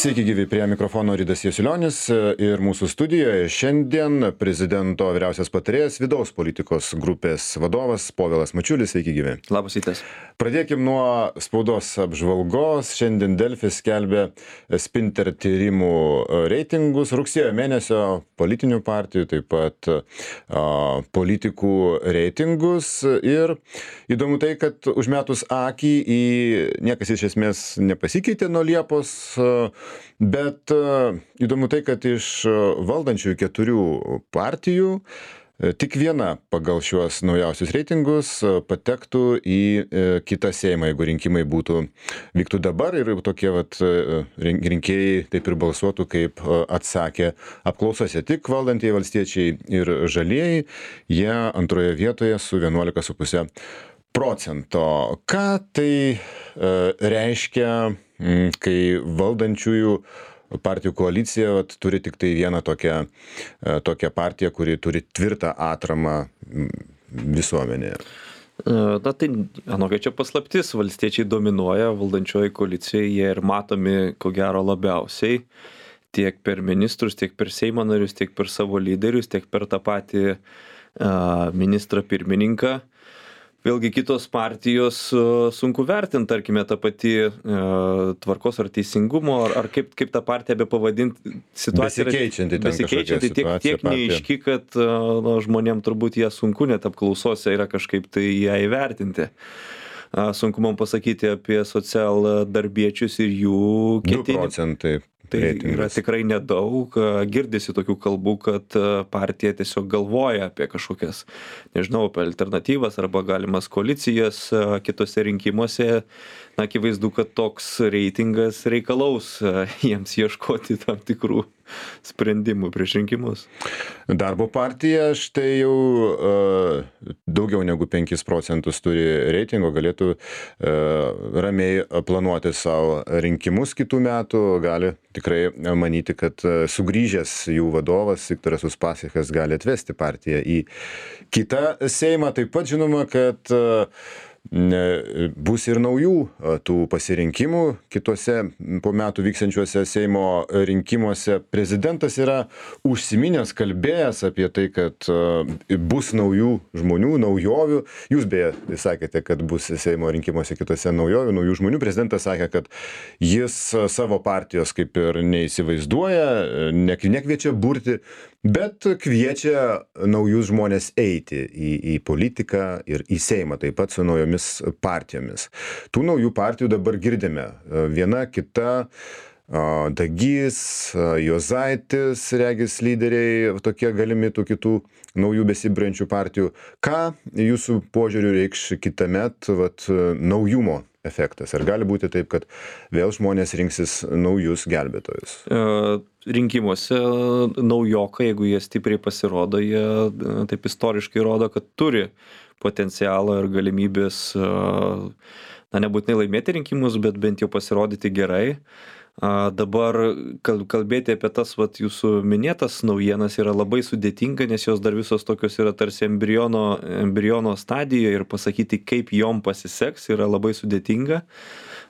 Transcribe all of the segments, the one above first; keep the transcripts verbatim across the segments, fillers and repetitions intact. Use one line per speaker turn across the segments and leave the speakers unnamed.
Sveiki gyvi, prie mikrofono Rydas Jasulionis ir mūsų studijoje šiandien prezidento vyriausias patarėjas vidaus politikos grupės vadovas Povilas Mačiulis. Sveiki gyvi.
Labas rytas.
Pradėkim nuo spaudos apžvalgos. Šiandien Delfi skelbė Spinter tyrimų reitingus rugsėjo mėnesio politinių partijų, taip pat a, politikų reitingus. Ir įdomu tai, kad užmetus akį į niekas iš esmės nepasikeitė nuo Liepos. Bet įdomu tai, kad iš valdančiųjų keturių partijų tik viena pagal šiuos naujausius reitingus patektų į kitą Seimą, jeigu rinkimai būtų, vyktų dabar ir tokie vat, rinkėjai taip ir balsuotų, kaip atsakė apklausose. Tik valdantieji valstiečiai ir žalieji, jie antroje vietoje su vienuolika su puse procento. Ką tai reiškia, kai valdančiųjų partijų koalicija vat, turi tik tai vieną tokią, tokią partiją, kuri turi tvirtą atramą visuomenėje?
Na tai, anokia čia paslaptis, valstiečiai dominuoja valdančioji koalicijoje, jie ir matomi, ko gero, labiausiai, tiek per ministrus, tiek per Seimo narius, tiek per savo lyderius, tiek per tą patį a, ministrą pirmininką. Vėlgi kitos partijos sunku vertinti, tarkime, tą patį e, tvarkos ar teisingumo, ar, ar kaip, kaip tą partiją be pavadinti, situacija
besikeičianti,
yra besikeičianti, tiek, tiek neaiški, kad na, žmonėm turbūt ją sunku net apklausose yra kažkaip tai ją įvertinti. Sunku man pasakyti apie socialdarbiečius ir jų ketinimą.
du procentai.
Tai yra tikrai nedaug, girdisi tokių kalbų, kad partija tiesiog galvoja apie kažkokias, nežinau, apie alternatyvas arba galimas koalicijas kitose rinkimuose. Na, akivaizdu, kad toks reitingas reikalaus jiems ieškoti tam tikrų sprendimų prieš rinkimus.
Darbo partija štai jau uh, daugiau negu penkis procentus turi reitingo, galėtų uh, ramiai planuoti savo rinkimus kitų metų, gali tikrai manyti, kad uh, sugrįžęs jų vadovas Viktoras Uspaskichas gali atvesti partiją į kitą Seimą. Taip pat žinoma, kad uh, bus ir naujų tų pasirinkimų kitose po metų vyksiančiuose Seimo rinkimuose. Prezidentas yra užsiminęs, kalbėjęs apie tai, kad bus naujų žmonių, naujovių. Jūs beje sakėte, kad bus Seimo rinkimuose kitose naujovių, naujų žmonių. Prezidentas sakė, kad jis savo partijos kaip ir neįsivaizduoja, nekviečia burti, bet kviečia naujus žmonės eiti į, į politiką ir į Seimą, taip pat su naujomis partijomis. Tų naujų partijų dabar girdime. Viena, kita, Dagys, Juozaitis, regis lyderiai, tokie galimi tų kitų naujų besibrančių partijų. Ką jūsų požiūriu reikš kitąmet vat, naujumo efektas? Ar gali būti taip, kad vėl žmonės rinksis naujus gelbėtojus?
Rinkimuose naujokai, jeigu jie stipriai pasirodo, jie taip istoriškai rodo, kad turi potencialą ir galimybės, na, nebūtinai laimėti rinkimus, bet bent jau pasirodyti gerai. Dabar kalbėti apie tas vat, jūsų minėtas naujienas yra labai sudėtinga, nes jos dar visos tokios yra tarsi embriono, embriono stadijoje ir pasakyti, kaip jom pasiseks, yra labai sudėtinga.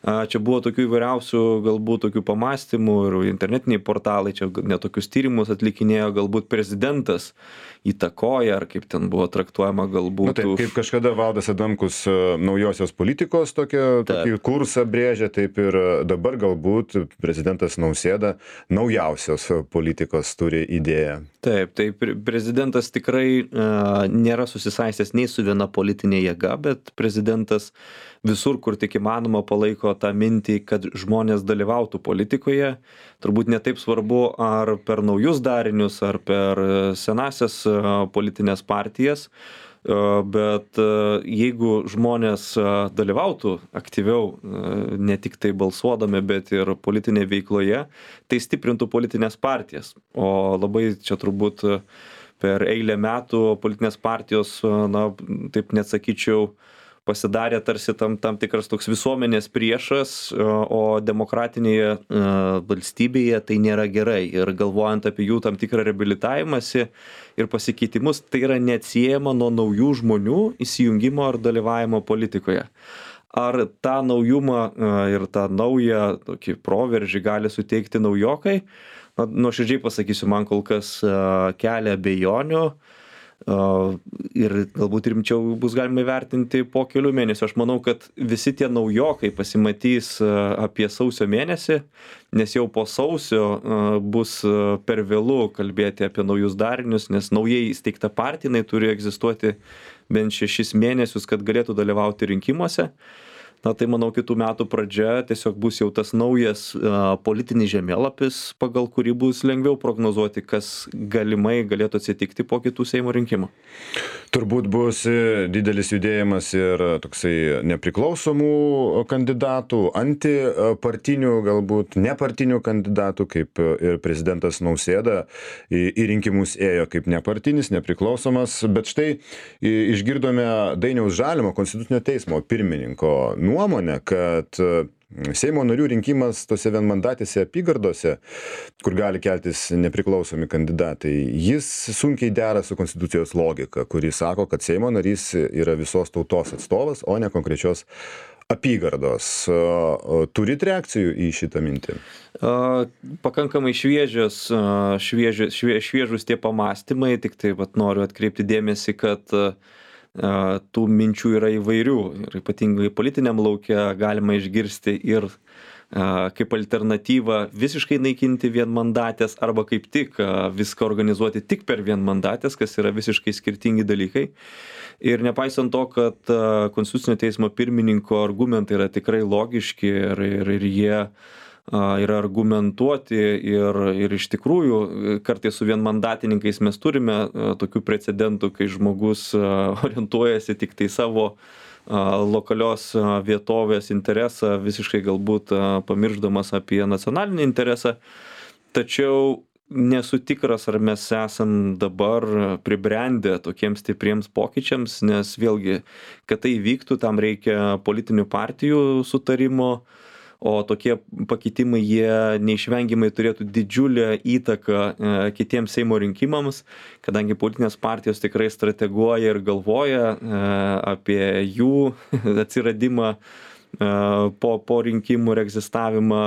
Čia buvo tokių įvairiausių galbūt tokių pamastymų ir internetiniai portalai, čia netokius tyrimus atlikinėjo, galbūt prezidentas įtakoja, ar kaip ten buvo traktuojama galbūt.
Na, taip, kaip kažkada Valdas Adamkus naujosios politikos tokį, tokį kursą brėžė, taip ir dabar galbūt prezidentas Nausėda naujausios politikos turi idėją.
Taip, tai prezidentas tikrai uh, nėra susisaistęs nei su viena politinė jėga, bet prezidentas visur, kur tik įmanoma, palaiko tą mintį, kad žmonės dalyvautų politikoje. Turbūt netaip svarbu, ar per naujus darinius, ar per senasias politinės partijas, bet jeigu žmonės dalyvautų aktyviau, ne tik tai balsuodami, bet ir politinėje veikloje, tai stiprintų politinės partijas. O labai čia turbūt per eilę metų politinės partijos, na, taip net sakyčiau, pasidarė tarsi tam, tam tikras toks visuomenės priešas, o demokratinėje valstybėje tai nėra gerai. Ir galvojant apie jų tam tikrą reabilitavimąsi ir pasikeitimus, tai yra neatsiejama nuo naujų žmonių įsijungimo ar dalyvavimo politikoje. ar tą naujumą ir tą naują tokį proveržį gali suteikti naujokai? Na, nuoširdžiai pasakysiu, man kol kas kelia abejonių. Ir galbūt rimčiau bus galima įvertinti po kelių mėnesių. Aš manau, kad visi tie naujokai pasimatys apie sausio mėnesį, nes jau po sausio bus per vėlu kalbėti apie naujus darinius, nes naujai įsteigta partija jinai turi egzistuoti bent šešis mėnesius, kad galėtų dalyvauti rinkimuose. Na tai manau, kitų metų pradžia tiesiog bus jau tas naujas a, politinis žemėlapis, pagal kurį bus lengviau prognozuoti, kas galimai galėtų atsitikti po kitų Seimo rinkimų.
Turbūt bus didelis judėjimas ir toksai nepriklausomų kandidatų, antipartinių, galbūt nepartinių kandidatų, kaip ir prezidentas Nausėda į, į rinkimus ėjo kaip nepartinis, nepriklausomas, bet štai išgirdome Dainiaus Žalimo, Konstitucinio teismo pirmininko nuomonę, kad Seimo narių rinkimas tose vienmandatėse apygardose, kur gali keltis nepriklausomi kandidatai, jis sunkiai dera su konstitucijos logika, kuri sako, kad Seimo narys yra visos tautos atstovas, o ne konkrečios apygardos. Turit reakcijų į šitą mintį?
Pakankamai šviežios, šviežios, šviežus tie pamastymai, tik tai vat, noriu atkreipti dėmesį, kad tų minčių yra įvairių ir ypatingai politiniam lauke galima išgirsti ir kaip alternatyvą visiškai naikinti vienmandatės arba kaip tik viską organizuoti tik per vienmandatės, kas yra visiškai skirtingi dalykai. Ir nepaisant to, kad Konstitucinio teismo pirmininko argumentai yra tikrai logiški ir, ir, ir jie yra argumentuoti ir, ir iš tikrųjų kartais su vienmandatininkais mes turime tokių precedentų, kai žmogus orientuojasi tik tai savo lokalios vietovės interesą, visiškai galbūt pamiršdamas apie nacionalinį interesą. Tačiau nesu tikras, ar mes esam dabar pribrendę tokiems stipriems pokyčiams, nes vėlgi, kad tai vyktų, tam reikia politinių partijų sutarimo, o tokie pakeitimai jie neišvengiamai turėtų didžiulę įtaką kitiems Seimo rinkimams, kadangi politinės partijos tikrai strateguoja ir galvoja apie jų atsiradimą po, po rinkimų ir egzistavimą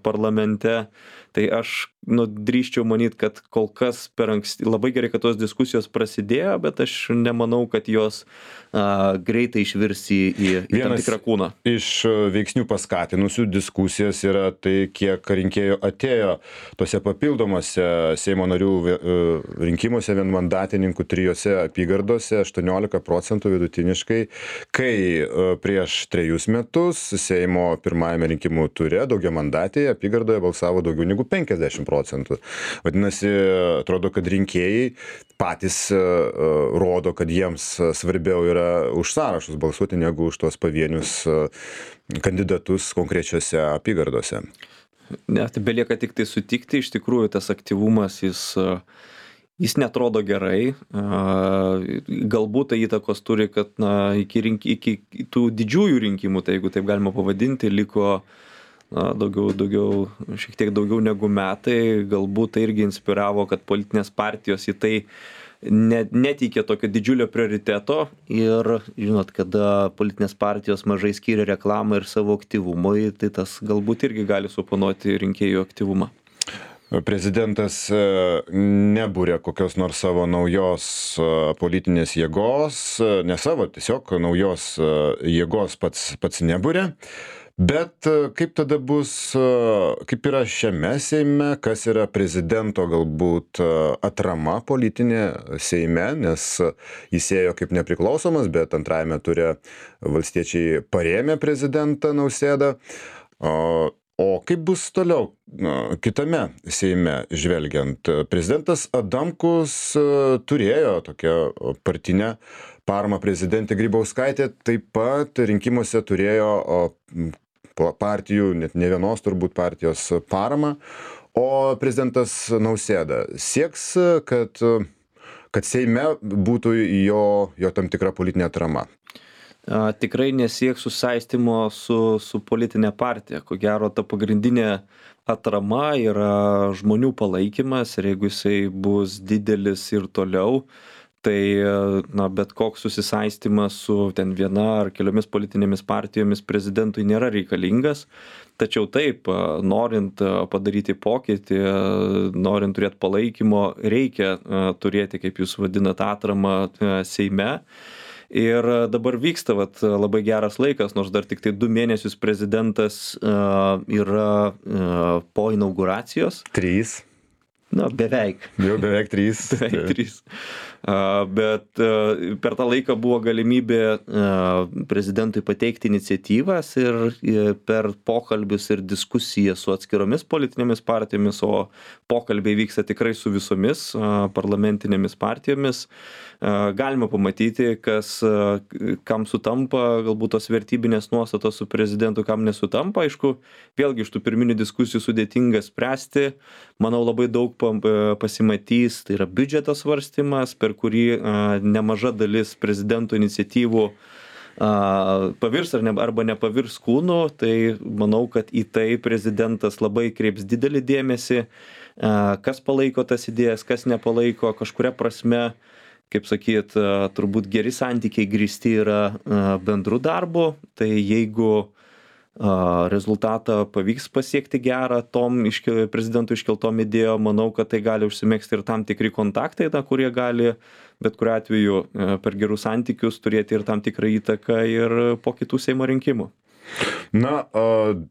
parlamente. Tai aš nu, drįsčiau manyti, kad kol kas per anksti, labai gerai, kad tos diskusijos prasidėjo, bet aš nemanau, kad jos a, greitai išvirs į, į, į tam tikrą kūną.
Iš veiksnių paskatinusių diskusijas yra tai, kiek rinkėjų atėjo tose papildomose Seimo narių rinkimuose vienmandatininkų trijose apygardose, aštuoniolika procentų vidutiniškai, kai prieš trejus metus Seimo pirmajame rinkimų ture daugiamandatėje apygardoje balsavo daugiau negu penkiasdešimt procentų. Vadinasi, atrodo, kad rinkėjai patys uh, rodo, kad jiems svarbiau yra už sąrašus balsuoti, negu už tuos pavienius uh, kandidatus konkrečiose apygardose.
Ne, tai belieka tik tai sutikti, iš tikrųjų tas aktyvumas, jis, jis netrodo gerai. Galbūt tai įtakos turi, kad na, iki, rink, iki tų didžiųjų rinkimų, tai jeigu taip galima pavadinti, liko na, daugiau, daugiau, šiek tiek daugiau negu metai, galbūt tai irgi inspiravo, kad politinės partijos į tai net, neteikė tokio didžiulio prioriteto ir, žinot, kada politinės partijos mažai skiria reklamą ir savo aktyvumui, tai tas galbūt irgi gali suponuoti rinkėjų aktyvumą.
Prezidentas nebūrė kokios nors savo naujos politinės jėgos, ne savo, tiesiog naujos jėgos pats, pats nebūrė. Bet kaip tada bus, kaip yra šiame Seime, kas yra prezidento galbūt atrama politinė Seime, nes jis ėjo kaip nepriklausomas, bet antrajame ture valstiečiai parėmė prezidentą Nausėdą. O kaip bus toliau kitame Seime žvelgiant? Prezidentas Adamkus turėjo tokią partinę paramą, prezidentė Grybauskaitė taip pat rinkimuose turėjo partijų, net ne vienos turbūt partijos paramą, o prezidentas Nausėda sieks, kad, kad Seime būtų jo, jo tam tikra politinė atrama.
Tikrai nesieks susaistymo su, su politinė partija. Ko gero, ta pagrindinė atrama yra žmonių palaikymas ir jeigu jisai bus didelis ir toliau, Tai, na, bet koks susisaistymas su ten viena ar keliomis politinėmis partijomis prezidentui nėra reikalingas. Tačiau taip, norint padaryti pokytį, norint turėti palaikymo, reikia turėti, kaip jūs vadinat, atramą Seime. Ir dabar vyksta vat, labai geras laikas, nors dar tik tai du mėnesius prezidentas uh, yra uh, po inauguracijos.
Trys.
Na, beveik.
Jau beveik trys.
Beveik trys. Uh, bet uh, per tą laiką buvo galimybė uh, prezidentui pateikti iniciatyvas ir uh, per pokalbius ir diskusiją su atskiromis politinėmis partijomis, o pokalbiai vyksta tikrai su visomis uh, parlamentinėmis partijomis. Uh, galima pamatyti, kas, uh, kam sutampa, galbūt tos vertybinės nuostatos su prezidentu, kam nesutampa. Aišku, vėlgi iš tų pirminių diskusijų sudėtinga spręsti. Manau, labai daug pasimatys, tai yra biudžeto svarstymas, per kurį a, nemaža dalis prezidento iniciatyvų a, pavirs ar ne, arba nepavirs kūnu, tai manau, kad į tai prezidentas labai kreips didelį dėmesį, a, kas palaiko tas idėjas, kas nepalaiko, kažkuria prasme, kaip sakyt, a, turbūt geri santykiai grįsti yra a, bendru darbu, tai jeigu rezultatą pavyks pasiekti gerą tom iškel, prezidentų iškeltom idėjom, manau, kad tai gali užsimegzti ir tam tikri kontaktai, na, kurie gali bet kuriuo atveju per gerus santykius turėti ir tam tikrą įtaką ir po kitų Seimo rinkimų.
Na,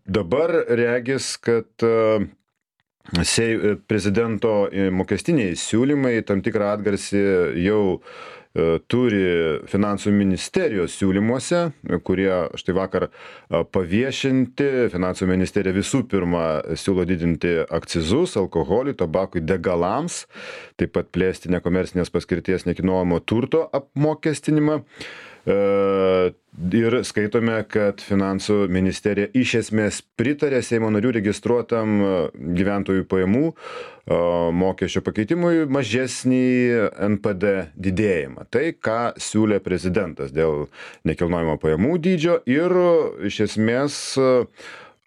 dabar regis, kad prezidento mokestiniai siūlymai tam tikrą atgarsį jau turi finansų ministerijos siūlymuose, kurie štai vakar paviešinti. Finansų ministerija visų pirma siūlo didinti akcizus alkoholiui, tabakui, degalams, taip pat plėsti nekomercinės paskirties nekilnojamo turto apmokestinimą. Ir skaitome, kad finansų ministerija iš esmės pritarė Seimo narių registruotam gyventojų pajamų mokesčio pakeitimui mažesnį N P D didėjimą. Tai, ką siūlė prezidentas dėl nekilnojamo pajamų dydžio ir iš esmės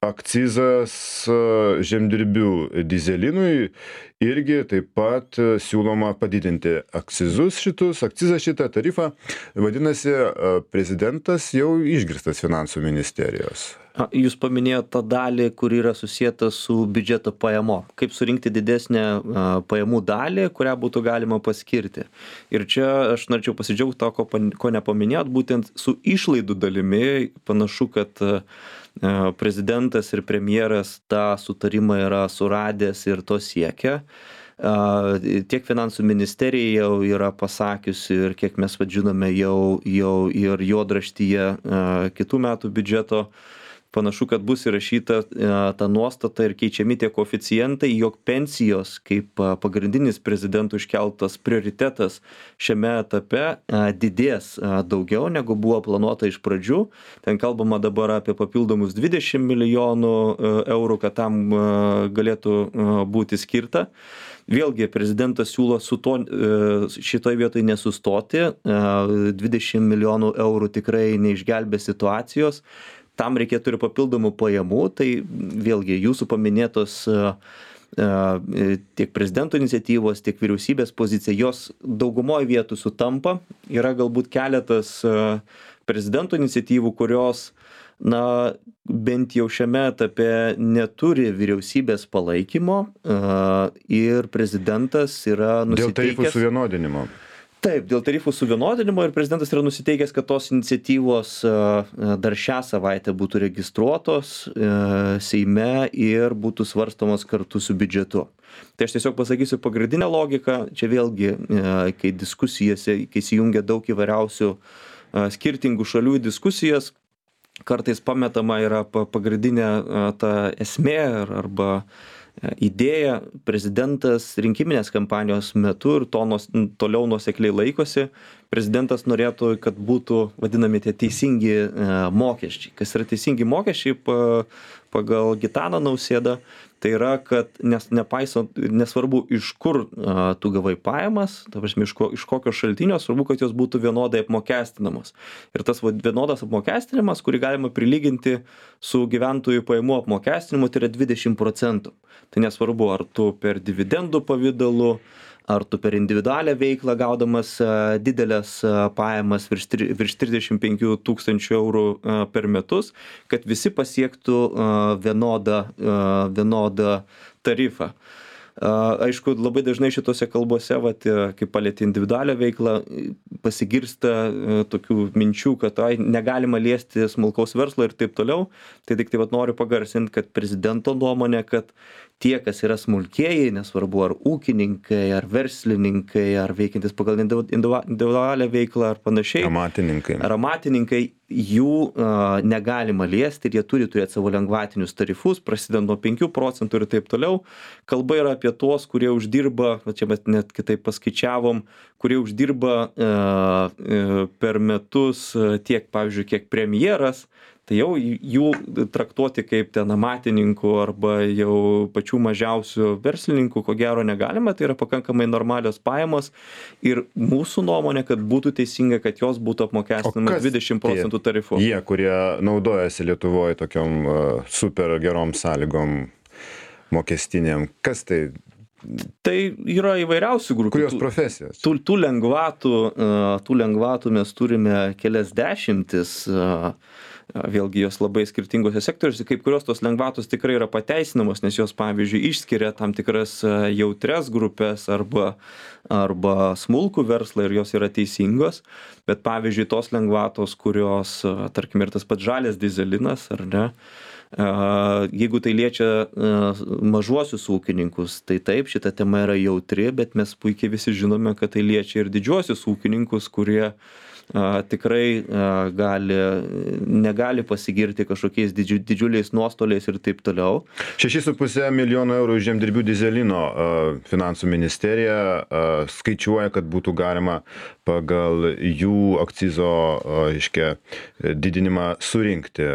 akcizas žemdirbių dyzelinui irgi taip pat siūloma padidinti akcizus šitus, akcizą šitą tarifą. Vadinasi, prezidentas jau išgirstas finansų ministerijos.
Jūs paminėjote tą dalį, kuri yra susijęta su biudžeto pajamo. Kaip surinkti didesnę pajamų dalį, kurią būtų galima paskirti. Ir čia aš norėčiau pasidžiaugti to, ko, ko nepaminėjot, būtent su išlaidų dalimi. Panašu, kad prezidentas ir premjeras tą sutarimą yra suradęs ir to siekia. Tiek finansų ministerija jau yra pasakiusi ir kiek mes vadžinome jau, jau ir juodraštyje kitų metų biudžeto, panašu, kad bus įrašyta ta nuostata ir keičiami tie koeficientai, jog pensijos kaip pagrindinis prezidentų iškeltas prioritetas šiame etape didės daugiau negu buvo planuota iš pradžių. Ten kalbama dabar apie papildomus dvidešimt milijonų eurų, kad tam galėtų būti skirta. Vėlgi, prezidentas siūlo su to šitoj vietoj nesustoti. dvidešimt milijonų eurų tikrai neišgelbės situacijos. Tam reikėtų ir papildomų pajamų, tai vėlgi jūsų paminėtos tiek prezidento iniciatyvos, tiek vyriausybės pozicija, jos daugumoje vietų sutampa. Yra galbūt keletas prezidento iniciatyvų, kurios, na, bent jau šiame etape neturi vyriausybės palaikymo ir prezidentas yra nusiteikęs...
Dėl tarifų suvienodinimo.
Taip, dėl tarifų suvienodinimo ir prezidentas yra nusiteikęs, kad tos iniciatyvos dar šią savaitę būtų registruotos Seime ir būtų svarstomos kartu su biudžetu. Tai aš tiesiog pasakysiu pagrindinę logiką. Čia vėlgi, kai diskusijose, kai įsijungia daug įvairiausių skirtingų šalių diskusijas, kartais pametama yra pagrindinė ta esmė arba idėja. Prezidentas rinkiminės kampanijos metu ir to nuos, toliau nuosekliai laikosi. Prezidentas norėtų, kad būtų vadinami tie teisingi e, mokesčiai. Kas yra teisingi mokesčiai pa, pagal Gitaną Nausėdą, tai yra, kad nes, nepaisant, nesvarbu iš kur a, tu gavai pajamas, ta prasme, iš, ko, iš kokio šaltinio, svarbu, kad jos būtų vienodai apmokestinamos. Ir tas va, vienodas apmokestinimas, kurį galima prilyginti su gyventojų pajamų apmokestinimu, tai yra dvidešimt procentų. Tai nesvarbu, ar tu per dividendų pavidalu, ar tu per individualią veiklą gaudamas didelės pajamas virš virš trisdešim penkių tūkstančių eurų per metus, kad visi pasiektų vienodą, vienodą tarifą. Aišku, labai dažnai šitose kalbose, vat, kaip palieti individualią veiklą, pasigirsta tokių minčių, kad ai, negalima liesti smulkaus verslo ir taip toliau. Tai tik tai vat, noriu pagarsinti, kad prezidento nuomonė, kad tie, kas yra smulkieji, nesvarbu ar ūkininkai, ar verslininkai, ar veikiantis pagal individualią veiklą ar panašiai.
Amatininkai.
Ar amatininkai, jų uh, negalima liesti ir jie turi turėti savo lengvatinius tarifus, prasidedant nuo penkių procentų ir taip toliau. Kalba yra apie tuos, kurie uždirba, čia mes net kitaip paskaičiavom, kurie uždirba uh, uh, per metus uh, tiek, pavyzdžiui, kiek premjeras, tai jau jų traktuoti kaip ten amatininkų arba jau pačių mažiausių verslininkų, ko gero negalima, tai yra pakankamai normalios pajamos ir mūsų nuomonė, kad būtų teisinga, kad jos būtų apmokestinamas dvidešim procentų tarifu.
Jie, kurie naudojasi Lietuvoje tokiom uh, super gerom sąlygom mokestiniam, kas tai?
Tai yra įvairiausių grupių.
Kurios profesijos?
Tų, tų, lengvatų, uh, tų lengvatų mes turime kelias dešimtis, uh, vėlgi jos labai skirtingose sektoriuose, kaip kurios tos lengvatos tikrai yra pateisinamos, nes jos, pavyzdžiui, išskiria tam tikras jautrias grupės arba, arba smulkų verslą ir jos yra teisingos, bet pavyzdžiui, tos lengvatos, kurios, tarkim, ir tas pats žalias dyzelinas, ar ne, jeigu tai liečia mažuosius ūkininkus, tai taip, šita tema yra jautri, bet mes puikiai visi žinome, kad tai liečia ir didžiuosius ūkininkus, kurie A, tikrai a, gali, negali pasigirti kažkokiais didžiu, didžiuliais nuostoliais ir taip toliau.
šeši su puse milijono eurų žemdirbių dyzelino a, finansų ministerija a, skaičiuoja, kad būtų galima pagal jų akcizo a, iškia, didinimą surinkti.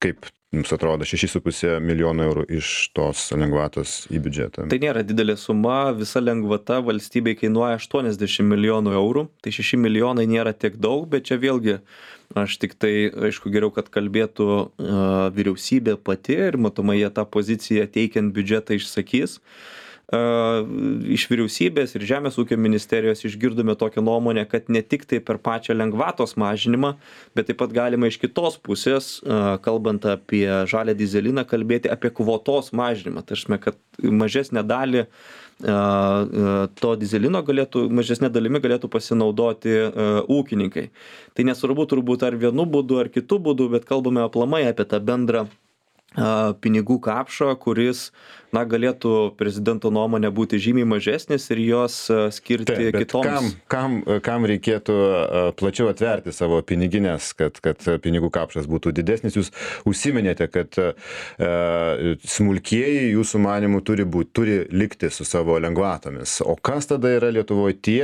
Kaip jums atrodo šeši su puse milijono eurų iš tos lengvatos į biudžetą?
Tai nėra didelė suma, visa lengvata valstybei kainuoja aštuoniasdešim milijonų eurų, tai šeši milijonai nėra tiek daug, bet čia vėlgi aš tik tai, aišku, geriau, kad kalbėtų uh, vyriausybė pati ir matomai jie tą poziciją teikiant biudžetą išsakys. Uh, iš vyriausybės ir Žemės ūkio ministerijos išgirdome tokią nuomonę, kad ne tik tai per pačią lengvatos mažinimą, bet taip pat galima iš kitos pusės, uh, kalbant apie žalią dyzeliną, kalbėti apie kvotos mažinimą. Tai aš, kad mažesnę dalį uh, to dyzelino galėtų, mažesnė dalimi galėtų pasinaudoti uh, ūkininkai. Tai nesvarbu turbūt ar vienu būdu, ar kitu būdu, bet kalbame aplamai apie tą bendrą pinigų kapšą, kuris, na, galėtų prezidento nuomonė būti žymiai mažesnis ir jos skirti
Taip,
kitoms.
Kam, kam, kam reikėtų plačiau atverti savo piniginės, kad, kad pinigų kapšas būtų didesnis? Jūs užsiminėte, kad e, smulkieji jūsų manimų turi, būt, turi likti su savo lengvatomis. O kas tada yra Lietuvoje tie,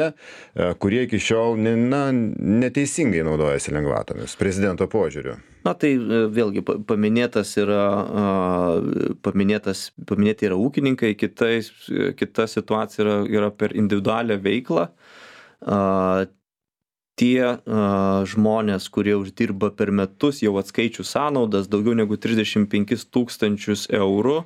kurie iki šiol ne, na, neteisingai naudojasi lengvatomis, prezidento požiūriu?
Na tai vėlgi paminėtas yra, paminėtas, paminėti yra ūkininkai, kitais, kita situacija yra, yra per individualią veiklą. Tie žmonės, kurie uždirba per metus jau atskaičių sąnaudas daugiau negu trisdešim penkis tūkstančius eurų,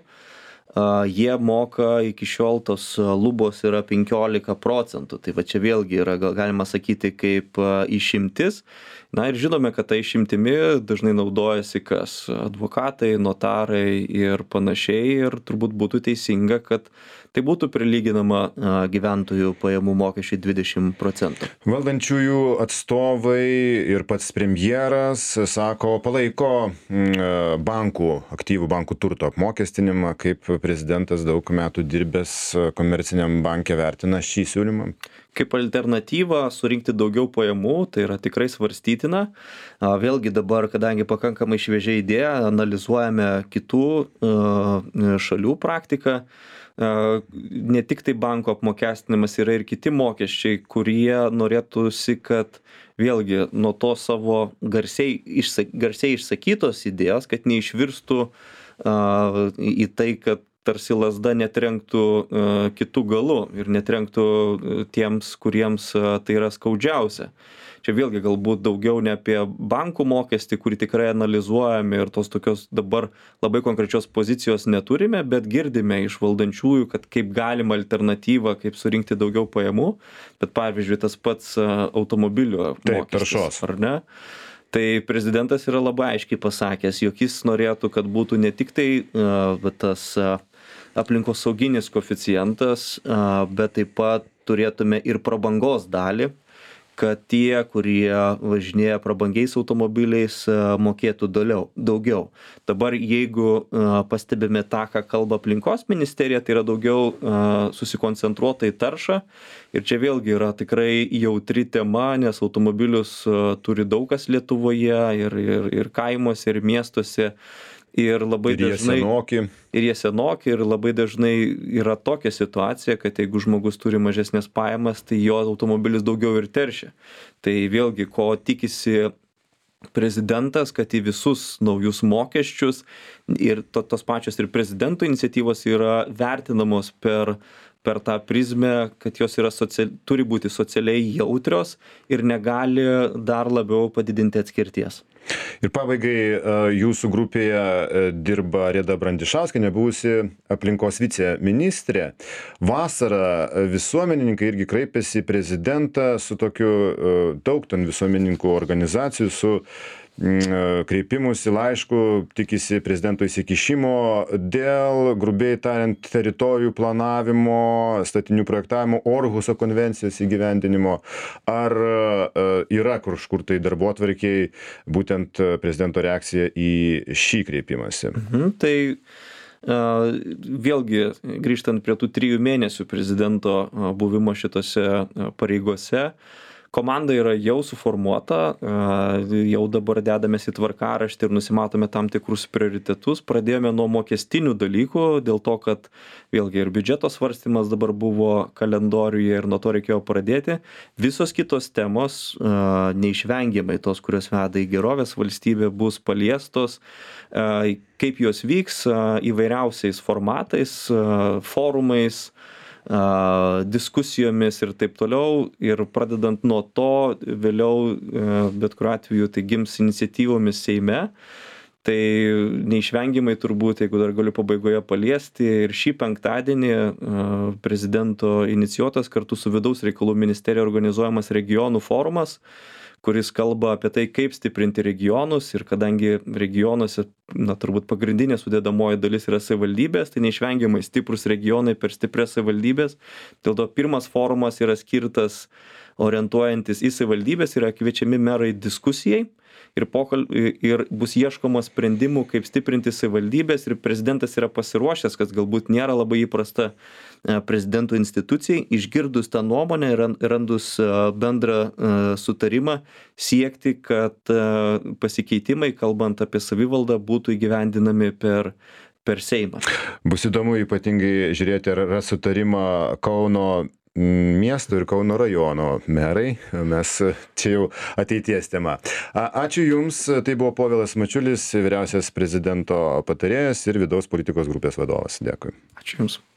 jie moka iki šiol tos lubos yra penkiolika procentų. Tai va čia vėlgi yra, galima sakyti, kaip išimtis. Na ir žinome, kad ta išimtimi dažnai naudojasi kas? Advokatai, notarai ir panašiai. Ir turbūt būtų teisinga, kad tai būtų prilyginama gyventojų pajamų mokesčiai dvidešim procentų.
Valdančiųjų atstovai ir pats premjeras sako, palaiko bankų, aktyvų bankų turto apmokestinimą, kaip prezidentas daug metų dirbęs komerciniam banke vertina šį siūlymą.
Kaip alternatyva surinkti daugiau pajamų, tai yra tikrai svarstytina. Vėlgi dabar, kadangi pakankamai šviežia idėja, analizuojame kitų šalių praktiką. Ne tik tai banko apmokestinimas, yra ir kiti mokesčiai, kurie norėtųsi, kad vėlgi nuo to savo garsiai, išsak, garsiai išsakytos idėjos, kad neišvirstų uh, į tai, kad tarsi lazda netrenktų uh, kitų galų ir netrenktų uh, tiems, kuriems uh, tai yra skaudžiausia. Čia vėlgi galbūt daugiau ne apie bankų mokestį, kurį tikrai analizuojame ir tos tokios dabar labai konkrečios pozicijos neturime, bet girdime iš valdančiųjų, kad kaip galima alternatyva, kaip surinkti daugiau pajamų, bet pavyzdžiui tas pats uh, automobilio
Taip,
mokestis,
taršos.
ar ne? Tai prezidentas yra labai aiškiai pasakęs, jog jis norėtų, kad būtų ne tik tai uh, tas uh, aplinkosauginis koeficientas, uh, bet taip pat turėtume ir prabangos dalį, kad tie, kurie važinėja prabangiais automobiliais, uh, mokėtų doliau, daugiau. Dabar jeigu uh, pastebime tą, ką kalba aplinkos ministerija, tai yra daugiau uh, susikoncentruota į taršą. Ir čia vėlgi yra tikrai jautri tema, nes automobilius uh, turi daug kas Lietuvoje ir, ir, ir kaimuose, ir miestuose. Ir labai
ir jie
dažnai.
Senoki.
Ir jie senoki, ir labai dažnai yra tokia situacija, kad jeigu žmogus turi mažesnės pajamas, tai jo automobilis daugiau ir teršia. Tai vėlgi, ko tikisi prezidentas, kad į visus naujus mokesčius ir to, tos pačios ir prezidento iniciatyvos yra vertinamos per per tą prizmę, kad jos yra social, turi būti socialiai jautrios ir negali dar labiau padidinti atskirties.
Ir pabaigai jūsų grupėje dirba Reda Brandišauskienė, buvusi aplinkos viceministrė. Vasarą visuomenininkai irgi kreipėsi į prezidentą su tokiu daug ten visuomenininkų organizacijų, su kreipimus į laiškų, tikisi prezidento įsikišimo dėl, grubiai tariant, teritorijų planavimo, statinių projektavimo, Orhuso konvencijos įgyvendinimo. Ar yra kažkur tai darbotvarkėj būtent prezidento reakcija į šį kreipimąsi?
Mhm, tai uh, vėlgi grįžtant prie tų trijų mėnesių prezidento buvimo šitose pareigose, komanda yra jau suformuota, jau dabar dedamės į tvarkaraštį ir nusimatome tam tikrus prioritetus. Pradėjome nuo mokestinių dalykų, dėl to, kad vėlgi ir biudžeto svarstymas dabar buvo kalendoriuje ir nuo to reikėjo pradėti. Visos kitos temos, neišvengiamai tos, kurios veda į gerovės valstybę, bus paliestos. Kaip jos vyks įvairiausiais formatais, forumais, diskusijomis ir taip toliau, ir pradedant nuo to, vėliau bet kuriuo atveju tai gims iniciatyvomis Seime. Tai neišvengiamai turbūt, jeigu dar galiu pabaigoje paliesti, ir šį penktadienį prezidento inicijuotas kartu su Vidaus reikalų ministerija organizuojamas regionų forumas, kuris kalba apie tai, kaip stiprinti regionus, ir kadangi regionuose, na, turbūt pagrindinė sudėdamoji dalis yra savivaldybės, tai neišvengiamai stiprus regionai per stiprias savivaldybės. Dėl to pirmas forumas yra skirtas orientuojantis į savivaldybės, yra kviečiami merai diskusijai ir, pokal... ir bus ieškoma sprendimų, kaip stiprinti savivaldybės, ir prezidentas yra pasiruošęs, kas galbūt nėra labai įprasta prezidento institucijai, išgirdus tą nuomonę ir randus bendrą sutarimą, siekti, kad pasikeitimai, kalbant apie savivaldą, būtų įgyvendinami per, per Seimą.
Bus įdomu ypatingai žiūrėti, ar yra sutarimą Kauno miesto ir Kauno rajono merai. Mes čia jau ateities tema. Ačiū Jums, tai buvo Povilas Mačiulis, vyriausias prezidento patarėjas ir vidaus politikos grupės vadovas. Dėkui.
Ačiū Jums.